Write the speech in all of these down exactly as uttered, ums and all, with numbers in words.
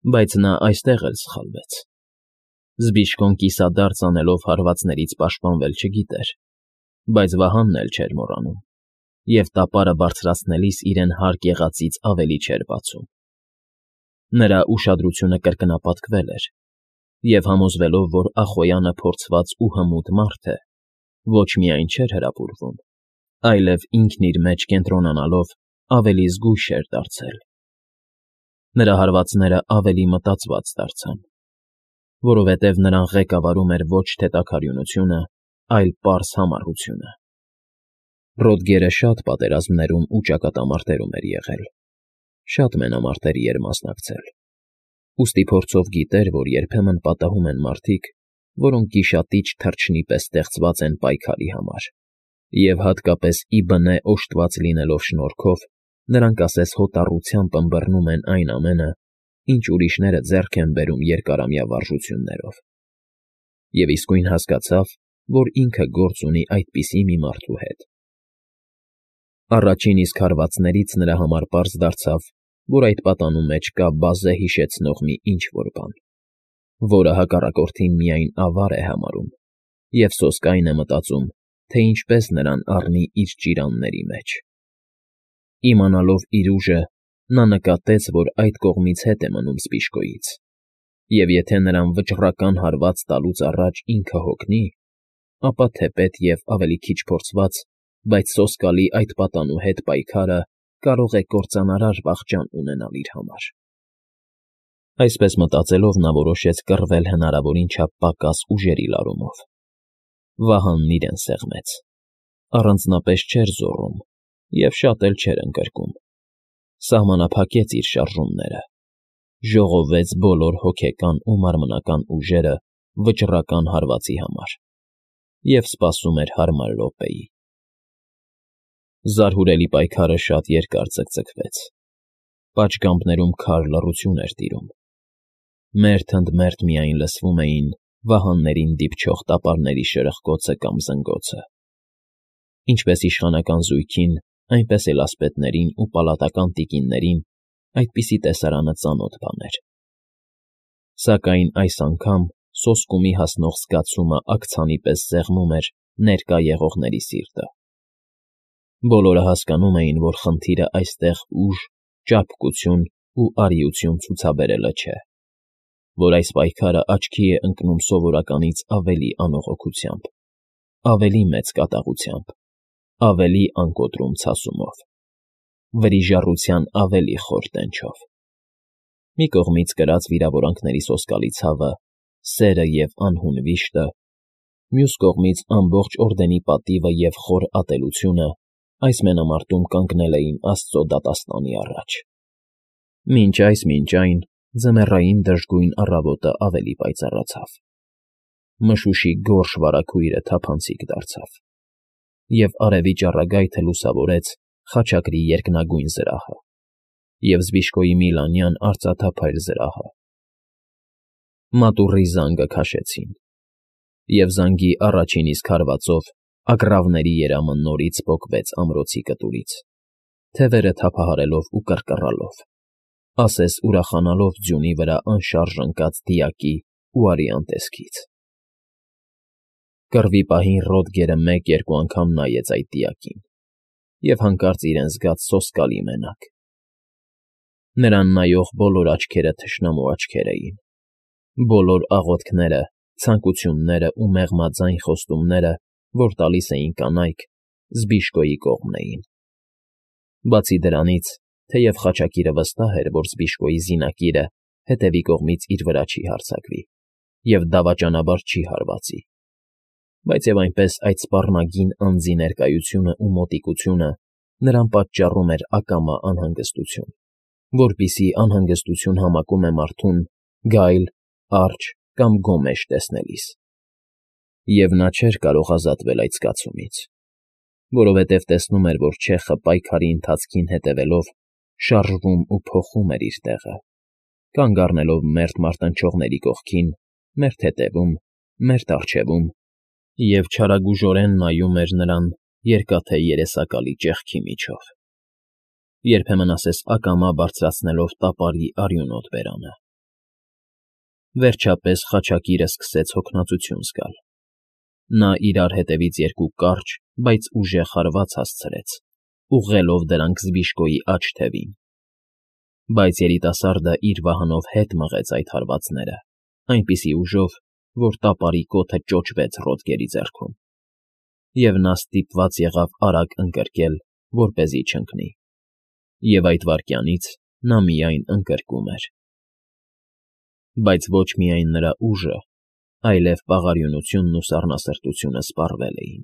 Բայց նա այստեղ էլ սխալվեց. Զբիշկոն կիսադարձ անելով հարվածներից պաշտպանվել չգիտեր, բայց Վահանն էլ չէր մոռանում և տապարը բարձրացնելիս իրեն հարկ եղածից ավելի չէր բացում. նրա ուշադրությունը կրկնապատկվել էր, և համոզվելով, որ Ախոյանը փորձված ու հմուտ մարդ է, ոչ միայն չէր հրապուրվում, այլև ինքն իր մեջ կենտրոնանալով ավելի զգույշ էր դարձել. նրա հարվածները ավելի մտածված դարձան, որովհետև նրան ղեկավարում էր ոչ թե տաքարյունությունը, այլ պարզ համառությունը. Ռոդգերը շատ պատերազմներում ու ճակատամարտերում էր եղել, շատ մենամարտերի էր մասնակցել, ուստի փորձով գիտեր, որ երբեմն պատահում են մարդիկ, որոնք գիշատիչ թռչնի պես ստեղծված են պայքարի համար, և հատկապես ի բնե օժտված լինելով շնորհքով, նրանք ասես հոտառությամբ ըմբռնում են այն ամենը, ինչ ուրիշները ձեռք են բերում երկարամյա վարժություններով, և իսկույն հասկացավ, որ ինքը գործ ունի այդպիսի մի մարդու հետ. Առաջին իսկ հարվածներից նրա համար պարզ դարձավ, որ այդ պատանու մեջ կա բազե հիշեցնող մի ինչ֊որ բան, որը հակառակորդին միայն ավար է համարում և սոսկայն է մտածում, թե ինչպես նրան առնի իր ճիրանների մեջ. Իմանալով իր ուժը, նա նկատեց, որ այդ կողմից հետ է մնում Սպիշկոյից, և եթե նրան վճռական հարված տալուց առաջ ինքը հոգնի, ապա թեպետ և ավելի քիչ փորձված, բայց սոսկալի այդ պատանու հետ պայքարը կարող է կործանարար վախճան ունենալ իր համար։ Այսպես մտածելով նա որոշեց կռվել հնարավորին չափ պակաս ուժերի լարումով. Վահանն իրեն սեղմեց, առանձնապես չէր զոռում և շատ էլ չէր ընկրկում, սահմանափակեց իր շարժումները, ժողովեց բոլոր հոգեկան ու մարմնական ուժերը վճռական հարվածի համար և սպասում էր հարմար րոպեի։ Զարհուրելի պայքարը շատ երկար ձգձգվեց, պատշգամբներում քար լռություն էր տիրում, մերթ ընդ մերթ միայն լսվում էին վահաններին դիպչող տապարների շրխկոցը կամ զնգոցը, ինչպես իշխանական զույգին, այնպես էլ ասպետներին ու պալատական տիկիններին այդպիսի տեսարանը ծանոթ բան էր, սակայն այս անգամ սոսկումի հասնող զգացումը աքցանի պես սեղմում էր ներկա եղողների սիրտը։ Բոլորը հասկանում էին, որ խնդիրը այստեղ ուժ, ճարպկություն ու արիություն ցուցաբերելը չէ, որ այս պայքարը աչքի է ընկնում սովորականից ավելի անողոքությամբ, ավելի մեծ կատաղությամբ, ավելի անկոտրում ցասումով, վրիժառության ավելի խոր տենչով։ Մի կողմից կրած վիրավորանքների սոսկալի ցավը, սերը և անհուն վիշտը, մյուս կողմից ամբողջ օրդենի պատիվը և խոր ատելությունը այս մենամարտում կանգնել էին աստծո դատաստանի առաջ։ Մինչ այս, մինչ այն, ձմեռային դժգույն առավոտը ավելի պայծառացավ, մշուշի գորշ վարագույրը թափանցիկ դարձավ, և արևի ճառագայթը լուսավորեց խաչակրի երկնագույն զրահը և Զբիշկոյի միլանյան արծաթափայլ զրահը։ Մատուռի զանգը քաշեցին, և զանգի առաջին իսկ հարվածով ագռավների երամը նորից պոկվեց ամրոցի կտուրից, թևերը թափահարելով ու կռկռալով, ասես ուրախանալով ձյունի վրա անշարժ ընկած դիակի ու արյան տեսքից։ Կռվի պահին Ռոդգերը մեկ֊երկու անգամ նայեց այդ դիակին և հանկարծ իրեն զգաց սոսկալի մենակ։ Նրան նայող բոլոր աչքերը թշնամու աչքեր էին, բոլոր աղոթքները, ցանկությունները ու մեղմաձայն խոստումները, որ տալիս էին կանայք, Զբիշկոյի կողմն էին։ Բացի դրանից, թեև խաչակիրը վստահ էր, որ Զբիշկոյի զինակիրը հետևի կողմից իր վրա չի հարձակվի և դավաճանաբար չի հարվածի, բայց և այնպես այդ սպառնագին անձի ներկայությունն ու մոտիկությունը նրան պատճառում էր ակամա անհանգստություն, որպիսի անհանգստություն համակում է մարդուն գայլ, արճ կամ գոմեշ տեսնելիս։ Եվ նա չէր կարող ազատվել այդ զգացումից, որովհետև տեսնում էր, որ չեխը պայքարի ընթացքին հետևելով շարժվում ու փոխում էր իր տեղը, կանգ առնելով մերթ մարտնչողների կողքին, մերթ հետևում, մերթ առջևում և չարագուժորեն նայում էր նրան երկաթե երեսակալի ճեղքի միջով, երբեմն ասես ակամա բարձրացնելով տապարի արյունոտ բերանը, Վերջապես խաչակիրը սկսեց հոգնածություն զգալ. նա իրար հետևից երկու կարճ, բայց ուժեղ հարված հասցրեց, ուղղելով դրանք Զբիշկոյի աջ թևին, բայց երիտասարդը իր վահանով հետ մղեց այդ հարվածները այնպիսի ուժով, որ տապարի կոթը ճոճվեց Ռոդգերի ձեռքում, և նա ստիպված եղավ արագ ընկրկել, որպեսզի չընկնի, և այդ վայրկյանից նա միայն ընկրկում էր. բայց ոչ միայն նրա ուժը, այլև պաղարյունությունն ու սառնասրտությունը սպառվել էին.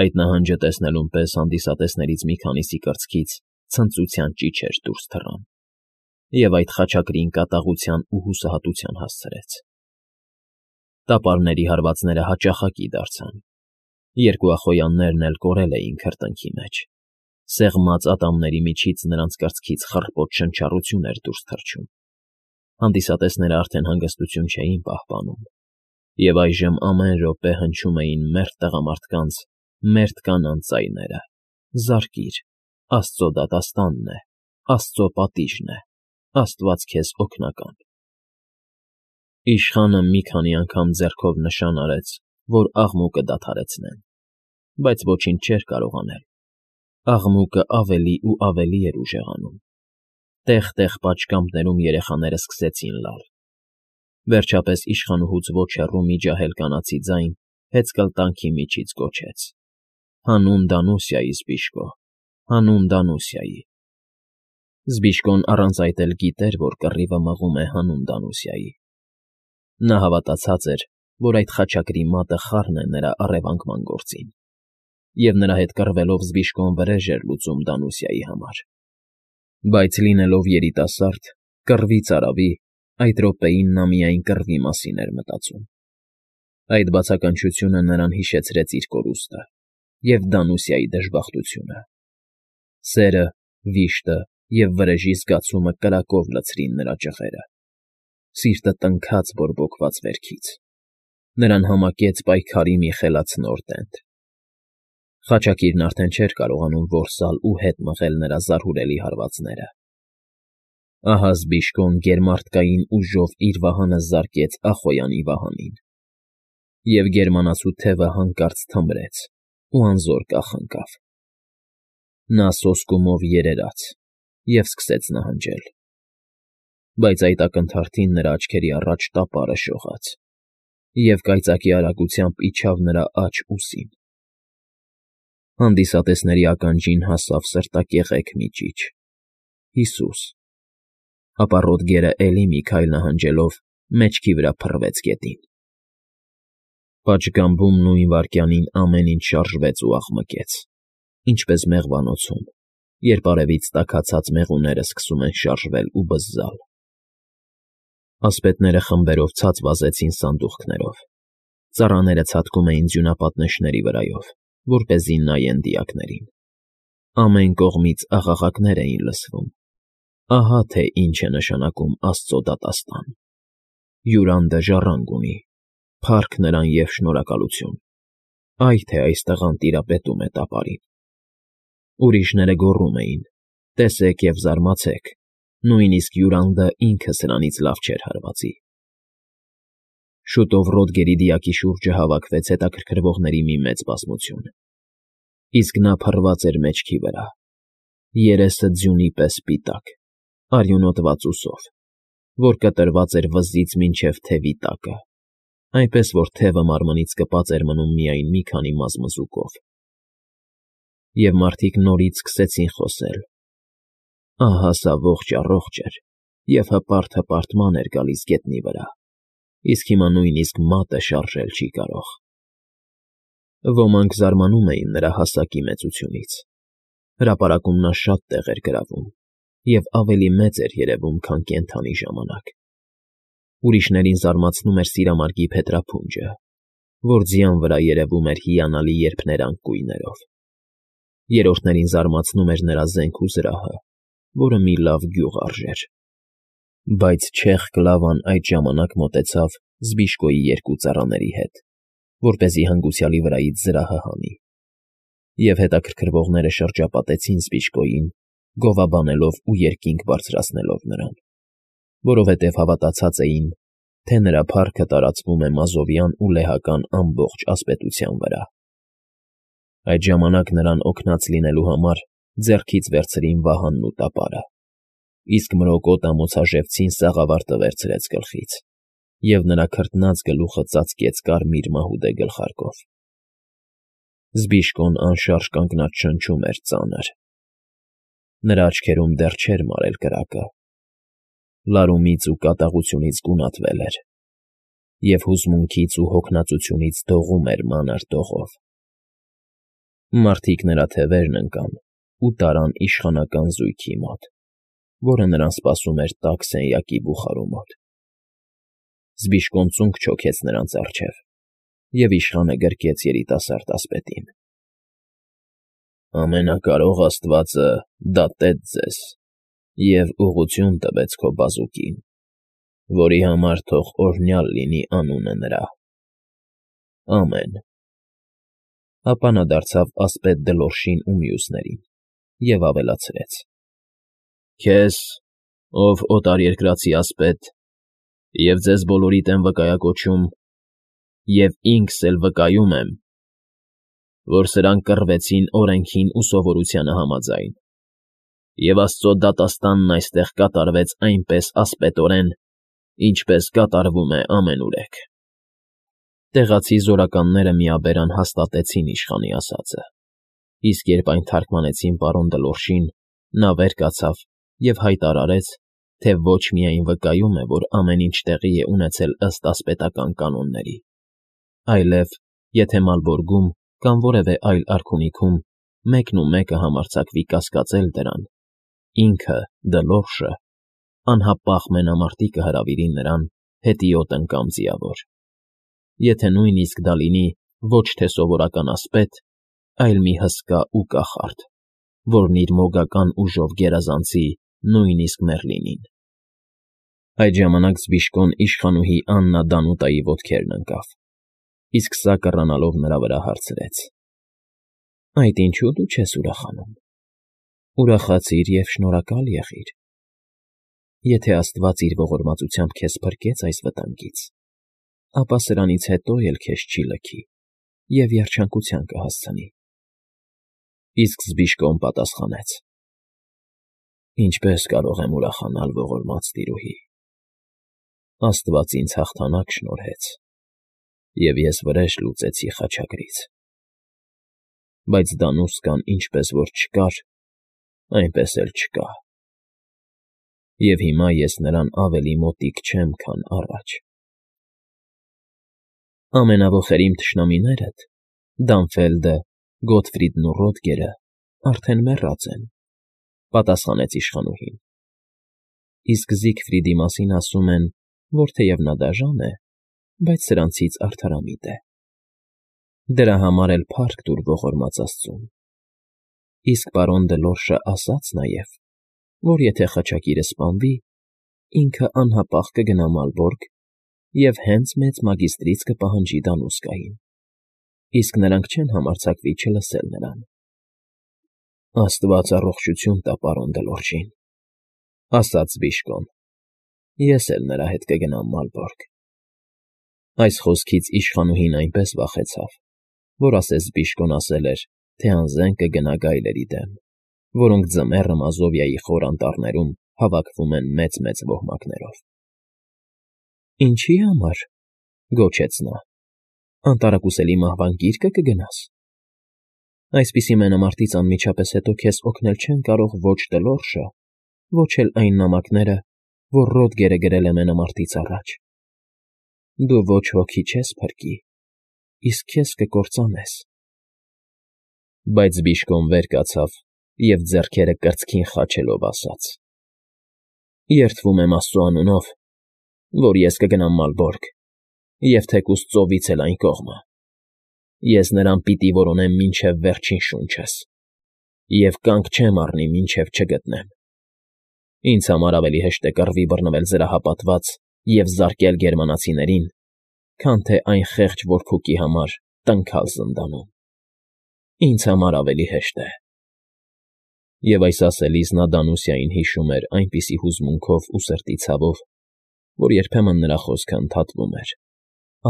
այդ նահանջը տեսնելուն պես հանդիսատեսներից մի քանիսի կրծքից ցնծության ճիչեր դուրս թռան, և այդ խաչակրին կատաղության ու հուսահատության հասցրեց. տապարների հարվածները հաճախակի դարձան, երկուախոյաններն էլ կորել էին քրտինքի մեջ, սեղմած ատամների միջից նրանց կրծքից խռպոտ շնչառություն էր դուրս թռչում, հանդիսատեսներն արդեն հանգստություն չէին պահպանում, և այժմ ամեն րոպե հնչում էին մերթ տղամարդկանց, մերթ կանանց ձայները. «Զարկիր, Աստծո դատաստանն է, Աստծո պատիժն է, Աստված քեզ օգնական»։ Իշխանը մի քանի անգամ ձեռքով նշան արեց, որ աղմուկը դադարեցնեն, բայց ոչինչ չէր կարող անել. աղմուկը ավելի ու ավելի էր ուժեղանում, տեղ֊տեղ պատշգամբներում երեխաները սկսեցին լալ, վերջապես իշխանուհուց ոչ հեռու մի ջահել կանացի ձայն հեծկլտանքի միջից գոչեց. «Հանուն Դանուսիայի, Զբիշկո, հանուն Դանուսիայի»։ Զբիշկոն առանց այդ էլ գիտեր, որ կռիվը մղում է հանուն Դանուսիայի. նա հավատացած էր, որ այդ խաչակրի մատը խառն է նրա առևանգման գործին, և նրա հետ կռվելով Զբիշկոն վրեժ էր լուծում Դանուսիայի համար, բայց լինելով երիտասարդ, կռվից արավի, այդ րոպեին նա միայն կռվի մասին էր մտածում. այդ բացականչությունը նրան հիշեցրեց իր կորուստը և Դանուսիայի դժբախտությունը. սերը, վիշտը և վրեժի զգացումը կրակով լցրին նրա ճղերը, սիրտը տնքաց բորբոքված վերքից, նրան համակեց պայքարի մի խելացնոր տենդ. խաչակիրն արդեն չէր կարողանում որսալ ու հետ մղել նրա զարհուրելի հարվածները. ահա Զբիշկոն գերմարդկային ուժով իր վահանը զարկեց Ախոյանի վահանին, և գերմանացու թևը հանկարծ թմրեց ու անզոր կախնկավ. նա սոսկումով երերաց և սկսեց նահանջել, բայց այդ ակնթարթին նրա աչքերի առաջ տապարը շողաց, և կայծակի արագությամբ իջավ նրա աջ ուսին. հանդիսատեսների ականջին հասավ սրտակեղեք մի ճիչ. «Հիսուս», ապա Ռոդգերը էլի մի քայլ նահանջելով մեջքի վրա փռվեց գետին։ Պատշգամբում նույն վայրկյանին ամեն ինչ շարժվեց ու աղմկեց, ինչպես մեղվանոցում, երբ արևից տաքացած մեղուները սկսում են շարժվել ու բզզալ։ Ասպետները խմբերով ցած վազեցին սանդուղքներով, ծառաները ցատկում էին ձյունապատնեշների վրայով, որպեսզի նայեն դիակներին, ամեն կողմից աղաղակներ էին լսվում. ահա թե ինչ է նշանակում Աստծո դատաստան. «Յուրանդը ժառանգ ունի, փառք նրան և շնորհակալություն, այ թե այս տղան տիրապետում է տապարին»։ Ուրիշները գոռում էին. «Տեսեք և զարմացեք, նույնիսկ Յուրանդը ինքը սրանից լավ չէր հարվածի»։ Շուտով Ռոդգերի դիակի շուրջը հավաքվեց հետաքրքրվողների մի մեծ բազմություն, իսկ նա փռված էր մեջքի վրա, երեսը ձյունի պես սպիտակ, արյունոտված ուսով, որ կտրված էր վզից մինչև թևի տակը, այնպես որ թևը մարմնից կպած էր մնում միայն մի քանի մազմզուկով։ Եվ մարդիկ նորից սկսեցին խոսել. «Ահա սա ողջ֊առողջ էր և հպարտ֊հպարտ ման էր գալիս գետնի վրա, իսկ հիմա նույնիսկ մատը շարժել չի կարող»։ Ոմանք զարմանում էին նրա հասակի մեծությունից, հրապարակում նա շատ տեղ էր գրավում և ավելի մեծ էր երևում, քան կենդանի ժամանակ։ Ուրիշներին զարմացնում էր սիրամարգի փետրափունջը, որ ձյան վրա երևում էր հիանալի երփներանգ գույներով։ Երրորդներին զարմացնում էր նրա զենք ու զրահը, որը մի լավ գյուղ արժեր։ Բայց չեղք լավան այդ ժամանակ մոտեցավ Զբիշկոյի երկու ծառաների հետ, որպեսզի հանգուցյալի վրայից զրահը հանի, և հետաքրքրվողները շրջապատեցին Զբիշկոյին, գովաբանելով ու երկինք բարձրացնելով նրան, որովհետև հավատացած էին, թե նրա փառքը տարածվում է մազովյան ու լեհական ամբողջ ասպետության վրա։ Այդ ժամանակ նրան օգնած լինելու համար ձեռքից վերցրին վահանն ու տապարը, իսկ մրոկոտ ամոցաժևցին սաղավարտը վերցրեց գլխից, և նրա քրտնած գլուխը ծածկեց կարմիր մահուդե գլխարկով։ Զբիշկոն անշարժ կանգնած շնչում էր ծանր։ Նրա աչքերում դեռ չէր մարել կրակը, լարումից ու կատաղությունից գունատվել էր, և հուզմունքից ու հոգնածությունից դողում էր մանր դողով։ Մարդիկ նրա թևերն ընկան ու տարան իշխանական զույգի մոտ, որը նրան սպասում էր տաք սենյակի բուխարու մոտ։ Զբիշկոն ծունկ չոքեց նրանց առջև, և իշխանը գրկեց երիտասարդ ասպետին։ «Ամենակարող աստվածը դատեց ձեզ և ուղղություն տվեց քո բազուկին, որի համար թող օրհնյալ լինի անունը նրա։ Ամեն»։ Ապա նա դարձավ ասպետ Դլորշին ու մյուսներին և ավելացրեց. «Քեզ, ով օտարերկրացի ասպետ, և ձեզ բոլորիդ եմ վկայակոչում, և ինքս էլ վկայում եմ, որ սրանք կռվեցին օրենքին ու սովորությանը համաձայն, և Աստծո դատաստանն այստեղ կատարվեց այնպես ասպետորեն, ինչպես կատարվում է ամենուրեք»։ Տեղացի զորականները միաբերան հաստատեցին իշխանի ասածը, իսկ երբ այն թարգմանեցին պարոն Դլորշին, նա վեր կացավ և հայտարարեց, թե ոչ միայն վկայում է, որ ամեն ինչ տեղի է ունեցել ըստ ասպետական կանոնների, այլև, եթե Մալբորգում կամ որևէ այլ արքունիքում մեկնումեկը համարձակվի կասկածել դրան, ինքը՝ Դլորշը, անհապաղ մենամարտի կհրավիրի նրան հետիոտ անգամ ձիավոր, եթե նույնիսկ դա լինի ոչ թե սովորական ասպետ, այլ մի հսկա ու կախարդ, որն իր մոգական ուժով գերազանցի նույնիսկ Մեռլինին։ Այդ ժամանակ Զբիշկոն իշխանուհի Աննա Դանուտայի ոտքերն ընկավ, իսկ սա կռանալով նրա վրա հարցրեց. «Այդ ինչո՞ւ դու չես ուրախանում։ Ուրախացիր և շնորհակալ եղիր։ Եթե աստված իր ողորմածությամբ քեզ փրկեց այս վտանգից, ապա սրանից հետո էլ քեզ չի լքի և երջանկության կհասցնի»։ Իսկ Զբիշկոն պատասխանեց. «Ինչպե՞ս կարող եմ ուրախանալ, ողորմած տիրուհի. աստված ինձ հաղթանակ շնորհեց, և ես վրեժ լուծեցի խաչակրից։ Բայց Դանուսկան ինչպես որ չկար, այնպես էլ չկա, և հիմա ես նրան ավելի մոտիկ չեմ, քան առաջ։ Ամենավոխերիմ թշնամիներդ՝ Դանֆելդը, Գոտֆրիդն ու Ռոդգերը, արդեն մեռած են», ֊ պատասխանեց իշխանուհին։ «Իսկ Զիգֆրիդի մասին ասում են, որ թեև նա դաժան է, բայց սրանցից արդարամիտ է։ Դրա համար էլ փառք տուր ողորմած աստծուն։ Իսկ պարոն Դլորշը ասաց նաև, որ եթե խաչակիրը սպանվի, ինքը անհապաղ կգնա Մալբորգ և հենց մեծ մագիստրից կպահանջի Դանուսկային, իսկ նրանք չեն համարձակվի չլսել նրան»։ «Աստված առողջություն տա պարոն Դլորշին», ֊ ասաց Զբիշկոն։ «Ես էլ նրա հետ կգնամ Մալբորգ»։ Այս խոսքից իշխանուհին այնպես վախեցավ, որ ասես Զբիշկոն ասել էր, թե անզեն կգնա գայլերի դեմ, որոնք ձմեռը Մազովիայի խոր անտառներում հավաքվում են մեծ֊մեծ ոհմակներով։ «Ինչի՞ համար,֊ գոչեց նա,֊ անտարակուսելի մահվան գի՞րկը կգնաս։ Այսպիսի մենամարտից անմիջապես հետո քեզ օգնել չեն կարող ոչ Դլորշը, ոչ էլ այն նամակները, որ Ռոդգերը գրել է մենամարտից առաջ։ Դու ոչ ոքի չես փրկի, իսկ քեզ կկործանես»։ Բայց Զբիշկոն վեր կացավ և ձեռքերը կրծքին խաչելով ասաց. «Երդվում եմ Աստծո անունով, որ ես կգնամ Մալբորգ, և թեկուզ ծովից էլ այն կողմը։ Ես նրան պիտի որոնեմ մինչև վերջին շունչս և կանգ չեմ առնի, մինչև չգտնեմ։ Ինձ համար ավելի հեշտ է կռվի բռնվել զրահապատված և զարկել գերմանացիներին, քան թե այն խեղճ որփուկի համար տնքալ զնդանում։ Ինձ համար ավելի հեշտ է»։ Եվ այս ասելիս նա Դանուսիային հիշում էր այնպիսի հուզմունքով ու սրտի ցավով, որ երբեմն նրա խոսքը ընդհատվում էր,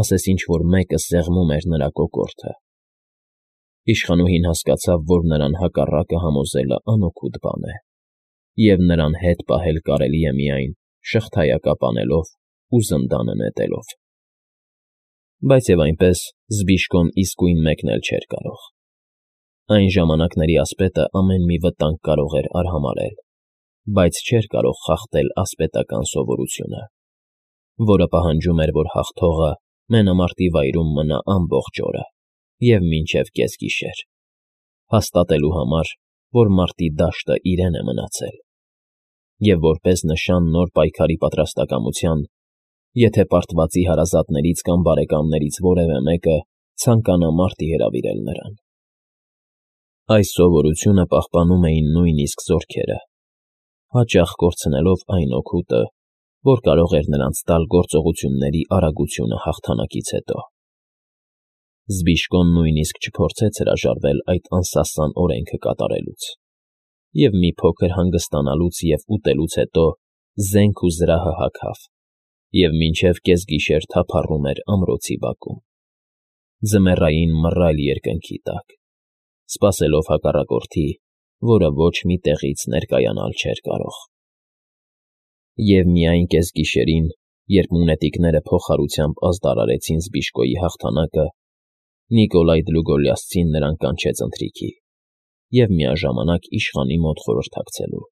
ասես ինչ֊որ մեկը սեղմում էր նրա կոկորդը։ Իշխանուհին հասկացավ, որ նրան հակառակը համոզելը անօգուտ բան է, և նրան հետ պահել կարելի է միայն շղթայակապ անելով ու զնդանը նետելով։ Բայց և այնպես Զբիշկոն իսկույն մեկնել չէր կարող։ Այն ժամանակների ասպետը ամեն մի վտանգ կարող էր արհամարհել, բայց չէր կարող խախտել ասպետական սովորությունը, որը պահանջում էր, որ հաղթողը մենամարտի վայրում մնա ամբողջ օրը և մինչև կեսգիշեր, հաստատելու համար, որ մարտի դաշտը իրեն է մնացել, և որպես նշան նոր պայքարի պատրաստակամության, եթե պարտվածի հարազատներից կամ բարեկամներից որևէ մեկը ցանկանա մարտի հրավիրել նրան։ Այս սովորությունը պահպանում էին նույնիսկ զորքերը, հաճախ կորցնելով այն օգուտը, որ կարող էր նրանց տալ գործողությունների արագությունը հաղթանակից հետո։ Զբիշկոն նույնիսկ չփորձեց հրաժարվել այդ անսասան օրենքը կատարելուց, և մի փոքր հանգստանալուց և ուտելուց հետո զենք ու զրահը հագավ և մինչև կեսգիշեր թափառում էր ամրոցի բակում, ձմեռային մռայլ երկնքի տակ, սպասելով հակառակորդի, որը ոչ մի տեղից ներկայանալ չէր կարող։ Եվ միայն կեսգիշերին, երբ մունետիկները փոխհարությամբ ազդարարեցին Զբիշկոյի հաղթանակը, Նիկոլայ Դլուգոլիասցին նրան կանչեց ընթրիքի և միաժամանակ իշխանի մոտ խորհրդակցելու։